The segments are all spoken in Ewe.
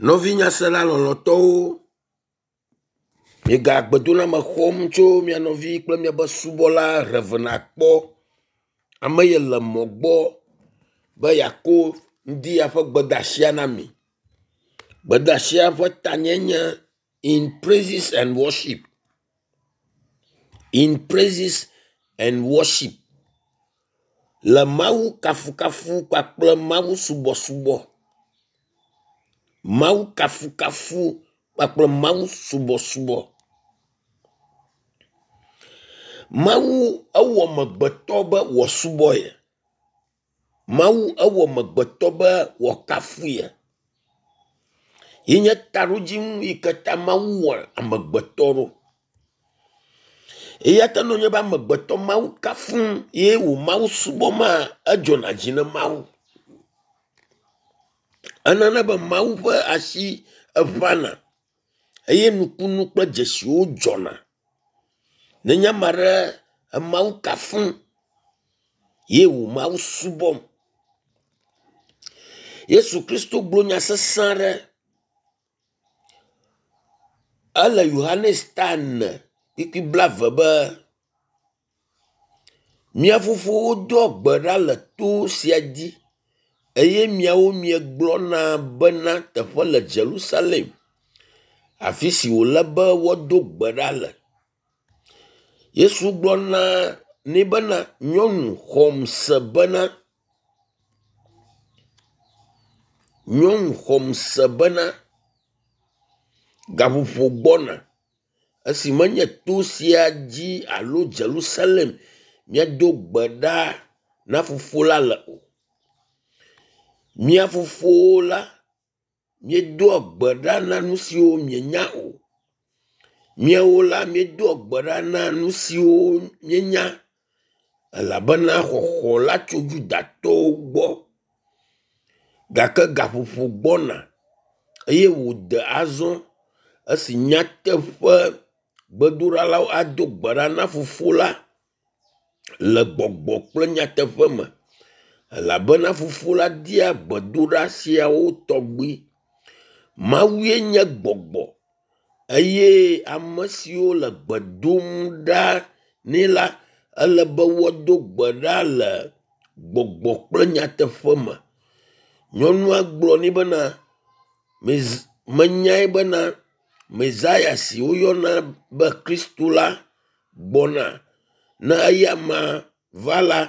Nɔvi nyasela lɔlɔ̃tɔwo, miega gbedoname xɔm tso mia nɔvi kple miaƒe subɔla Rev. Akpɔ. Ame ye le mɔ gbɔ be yeako ŋdi ya ƒe gbedeasia na mi. Gbedeasia ƒe tanye nye in praises and worship. In praises and worship. Le Mawu kafukafu kpakple Mawu subɔsubɔ. Mawu kafukafu kpakple Mawu subɔsubɔ. Mawu ewɔ amegbetɔ be wòasubɔ ye. Mawu ewɔ amegbetɔ be wòakafu ye. Ye nye taɖodzinu yi ke ta Mawu wɔ amegbetɔ ɖo. Eya ta ne wònye be amegbetɔ Mawu kafum ye wò Mawu subɔmaa, edzɔna dzi na Mawu. Enana be Mawu ƒe asi eʋãna eye nukunu kple dzesiwo dzɔna. Nenye ame aɖe emawu kafum ye wò Mawu subɔm. Yesu Kristo gblɔ nya sesẽ aɖe. Ele Yohanes ta ene kpukpui blaeve be, Mia fofowo doa gbe ɖa le to sia dzi eye miawo miegblɔna bena teƒe le Yerusalem, afi si wòle be woado gbe ɖa le. Yesu gblɔ na nɛ bena, nyɔnu xɔm se bena, nyɔnu xɔm se bena gaƒoƒo gbɔna esi menye to sia dzi alo Yerusalem míado gbe ɖa na fofo la le o. Mía fofowo la, míedoa gbe ɖa na nu siwo mienya o. Míawo la, míedoa gbe ɖa na nu siwo míenya elabena xɔxɔ la tso Yudatɔwo gbɔ. Gake gaƒoƒo gbɔna eye wòde azɔ esi nyateƒe gbedoɖalawo ado gbe ɖa na fofo la le gbɔgbɔ kple nyateƒe me elabena fofo la dia gbedoɖa siawo tɔgbi. Mawue nye gbɔgbɔ eye ame siwo le gbe dom ɖa nɛ la ele be woado gbe ɖa le gbɔgbɔ kple nyateƒe me. Nyɔnua gblɔ nɛ bena, menyae bena Mesaya si woyɔna be Kristo la gbɔna. Ne eya amea va la,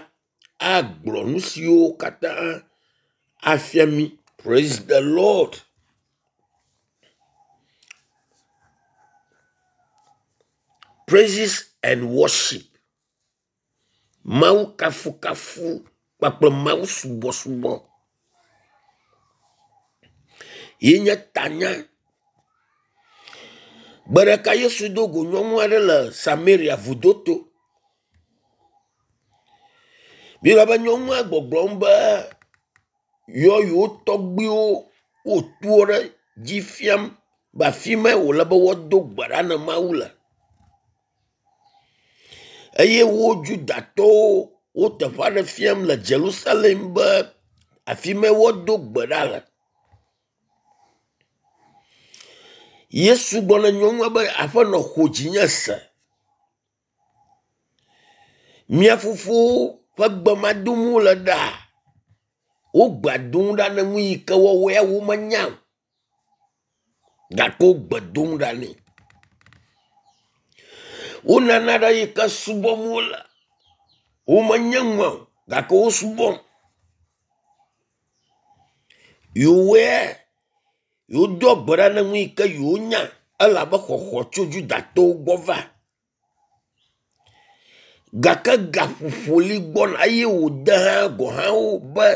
agblɔ nu siwo katã afia mí. Praise the Lord. Praises and worship. Mawu kafukafu kpakple Mawu subɔsubɔ ye nye tanya. Gbe ɖeka Yesu do go nyɔnu aɖe le Samaria vudo to. Biblia be nyɔnua gbɔgblɔm be yɔ yewo tɔgbuiwo woto ɖe dzi fiam be afi mae wòle be woado gbe ɖa na Mawu le. Eye wo Yudatɔwo wo teƒe aɖe fiam le Yerusalem be afi mae woado gbe ɖa le. Yesu gblɔ na nyɔnua be aƒenɔ xɔ dzinye se. Mía fofowo ƒe gbe ma dom wole ɖaa. Wo gbea dom ɖa ne nu yi ke woawo ya womenya o. Gake wo gbe dom ɖa nɛ. Wo nana ɖe yi ke subɔm wole. Womenye nua o gake wo subɔm. Yewoe yewodoa gbe ɖa ne nu yi ke yewonya elabe xɔxɔ tso Yudatɔwo gbɔ va. Gake gaƒoƒo li gbɔna eye wòde hã gɔ̃ hã wo be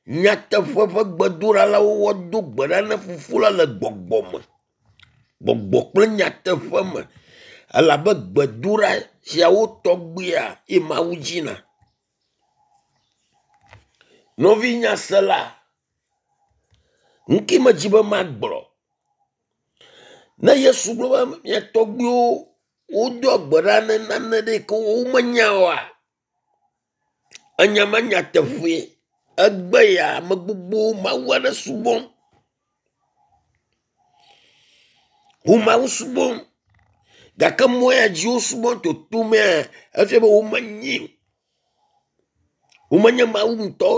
nyateƒe ƒe gbedoɖalawo woado gbe ɖa na fofo la le gbɔgbɔ me. Gbɔgbɔ kple nyateƒe me elabe gbedoɖa siawo tɔgbia ye Mawu dzina. Nɔvi nyasela, nu ke medzi be magblɔ. Ne Yesu gblɔ be mia tɔgbuiwo wodoa gbe ɖa ne nane ɖe yi ke womenya oa, enya ma nyateƒee. Egbe ya ame gbogbowo Mawu aɖe subɔm. Wo Mawu subɔm gake mɔ ya dzi wosubɔ toto mea efia be womenyi o. Womenye Mawu ŋutɔ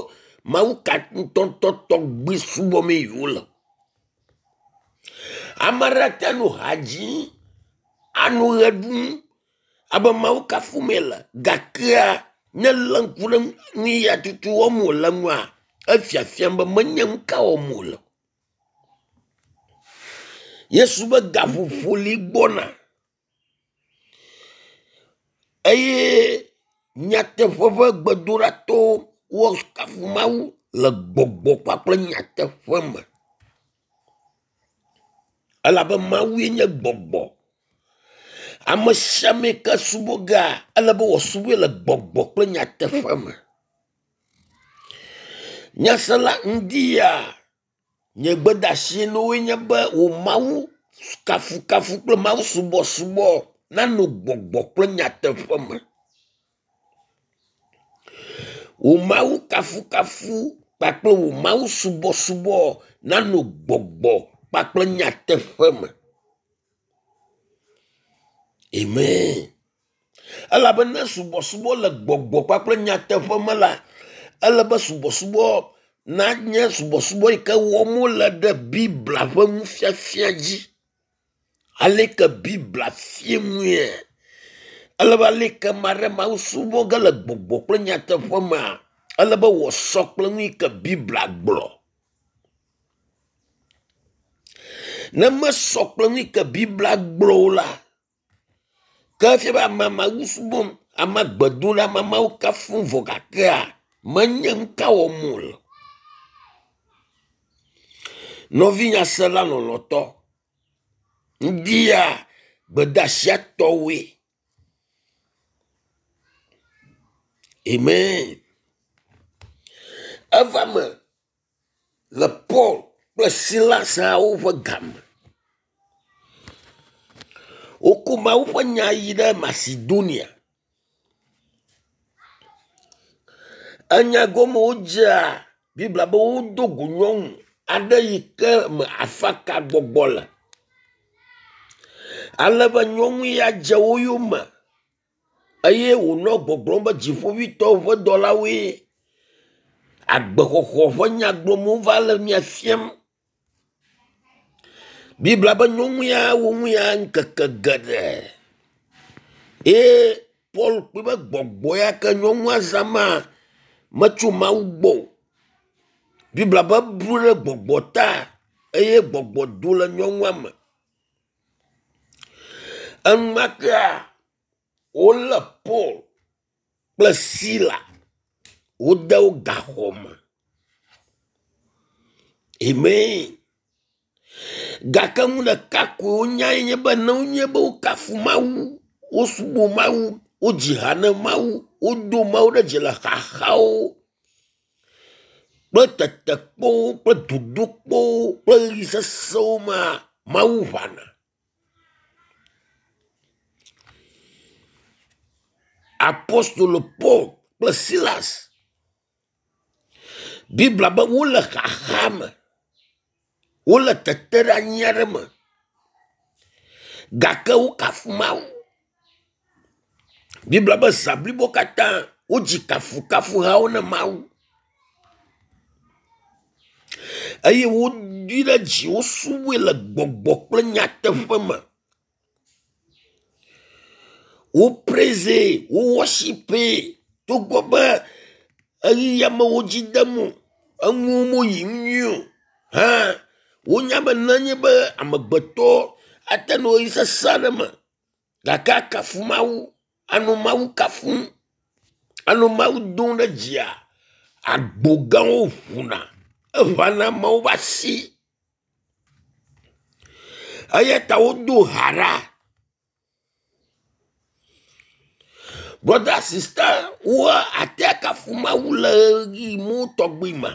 Mawu ka ŋutɔŋutɔ tɔgbi subɔmee yewole o. Ame aɖe ate ŋu anɔ ha dzim, anɔ ʋe ɖum abe Mawu kafum yele gakea ne elé ŋku ɖe nu ya tutu wɔm wòle ŋua, efiafiam be menye nu ka wɔm wòle o. Yesu be gaƒoƒo li gbɔna eye nyateƒe ƒe gbedoɖatɔwo woakafu Mawu le gbɔgbɔ kpakple nyateƒe me. Elabe Mawue nye gbɔgbɔ. Ame sia ame yi ke subɔ gea, ele be wòasubɔe le gbɔgbɔ kple nyateƒe me. Nyasela ŋdi ya nye gbedeasi na woe nye be wò Mawu kafukafu kple Mawu subɔsubɔ nano gbɔgbɔ kple nyateƒe me. Wò Mawu kafukafu kpakple wò Mawu subɔsubɔ nano gbɔgbɔ kpakple nyateƒe me. Amen. Elabe ne subɔsubɔ le gbɔgbɔ kpakple nyateƒe me la, ele be subɔsubɔ nanye subɔsubɔ yi ke wɔm wole ɖe Biblia ƒe nufiafia dzi. Aleke Biblia fia nue? Ele be aleke ame aɖe Mawu subɔ ge le gbɔgbɔ kple nyateƒe mea, ele be wòasɔ kple nu yi ke Biblia gblɔ. Ne mesɔ kple nu yi ke Biblia gblɔ o la, ke efia be amea Mawu subɔm, amea gbe dom ɖa, amea Mawu kafum vɔ gakea menye nu ka wɔm wòle. Nɔvi nyasela lɔlɔ̃tɔ, ŋdi ya gbedeasia tɔwoe. Amen. Eva me le Paul kple Silas hã woƒe game. Woko Mawu ƒe nya yi ɖe Macedonia. Enya gɔme wodzea Biblia be wodo go nyɔnu aɖe yi ke me afaka gbɔgbɔ le. Ale be nyɔnu ya dze wo yome eye wònɔ gbɔgblɔm be dziƒoʋĩtɔwo ƒe dɔlawoe agbexɔxɔ ƒe nya gblɔm wova le mia fiam. Biblia be nyɔnu ya wɔ nu ya ŋkeke geɖe eye Paul kpɔe be gbɔgbɔ ya ke nyɔnua zã ma metso Mawu gbɔ o. Biblia be eblu ɖe gbɔgbɔ ta eye gbɔgbɔ do le nyɔnua me. Enumakea wolé Paul kple Sila wode wo gaxɔ me. Amen. Gake nu ɖeka koe wonyae nye be ne wonye be wokafu Mawu, wosubɔ Mawu, wodzi ha ne Mawu, wodo Mawu ɖe dzi le xaxawo kple tetekpɔwo kple dodokpɔwo kple ɣeyiɣi sesẽwo mea, Mawu ʋãna. Apostolo Paul kple Silas Biblia be wole xaxa me, wole teteɖeanyi aɖe me gake wokafu Mawu. Biblia be zã blibo katã wodzi kafukafuhawo na Mawu eye wodui ɖe dzi wosubɔe le gbɔgbɔ kple nyateƒe me. Wo praise, wo worship togbɔ be eɣeyiɣia me wo dzi dem o, enuwo meyi nyuie o hã wonya be nenye be amegbetɔ ate nɔ ɣeyiɣi sesẽ aɖe me gake akafu Mawu, anɔ Mawu kafum, anɔ Mawu dom ɖe dzia, agbo gãwo ʋuna, eʋãna Mawu ƒe asi. Eya ta wodo ha ɖa. Brɔda sista woa ate akafu Mawu le ɣeyiɣi mawo tɔgbi me.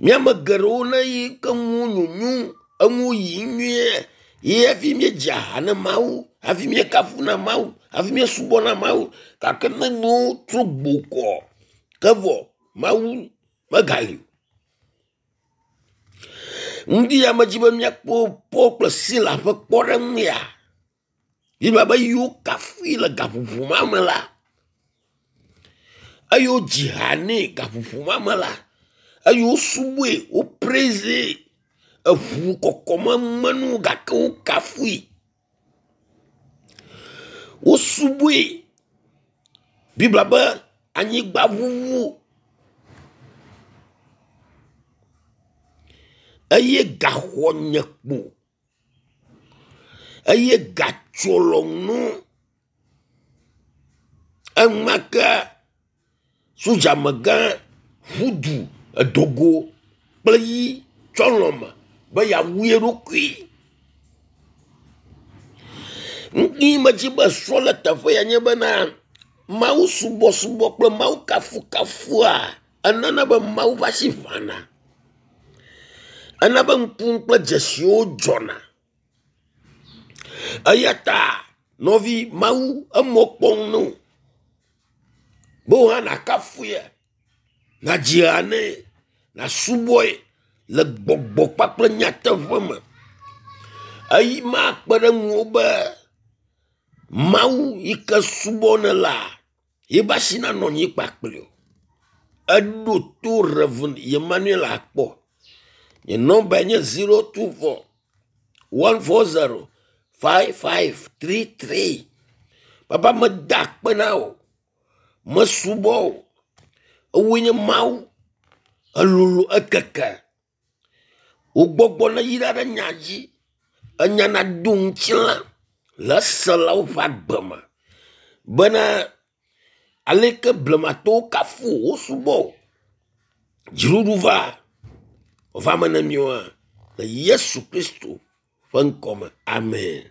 Míame geɖewo ne yi ke nuwo nyonyo, enuwo yiyim nyuie ye hafi míedzia ha ne Mawu, hafi míekafuna Mawu, hafi míesubɔna Mawu gake ne nuwo trɔ gbo kɔ ke vɔ Mawu megali o. Ŋdi ya medzi be míakpɔ Paul kple Sila ƒe kpɔɖeŋu ya. Biblia be yiwo kafui le gaƒoƒo ma me la, eye wodzi ha nɛ gaƒoƒo ma me la, eye wosubɔe, wo praise eʋu kɔkɔme menu gake wokafui. Wosubɔe. Biblia be anyigba ʋuʋu eye gaxɔ nye kpo eye gatsrɔ̃nu. Enumake sodzamegã ƒu du edo go kple yi tsɔ lɔme be yeawu ye ɖokui. Nu yi medzi be srɔ̃ le teƒe ya nye bena Mawu subɔsubɔ kple Mawu kafukafua enana be Mawu ƒe asi ʋãna. Ena be ŋku kple dzesiwo dzɔna. Eya ta nɔvi Mawu emɔ kpɔm no be wò hã nàkafue, nàdzi ha nɛ, nàsubɔe le gbɔgbɔ kpakple nyateƒe me. Eyi ma akpe ɖe ŋuwò be Mawu yi ke subɔ nèlea, yiƒe asi nanɔ anyi kpakpli wò. Eɖo to Rev. Emmanuel akpɔ. Nye nɔmbae nye 024 140 5533. Papa meda akpe na wò. Mesubɔ wò. Ewòe nye Mawu. Elolo ekeke. Wò gbɔgbɔ neyra ɖe nya dzi. Enya nado ŋutilã le eselawo ƒe agbe me bena aleke blematɔwo kafu wò wosubɔ wò. Dziɖuɖu va va me na míwo hã le Yesu Kristo ƒe ŋkɔ me. Amen.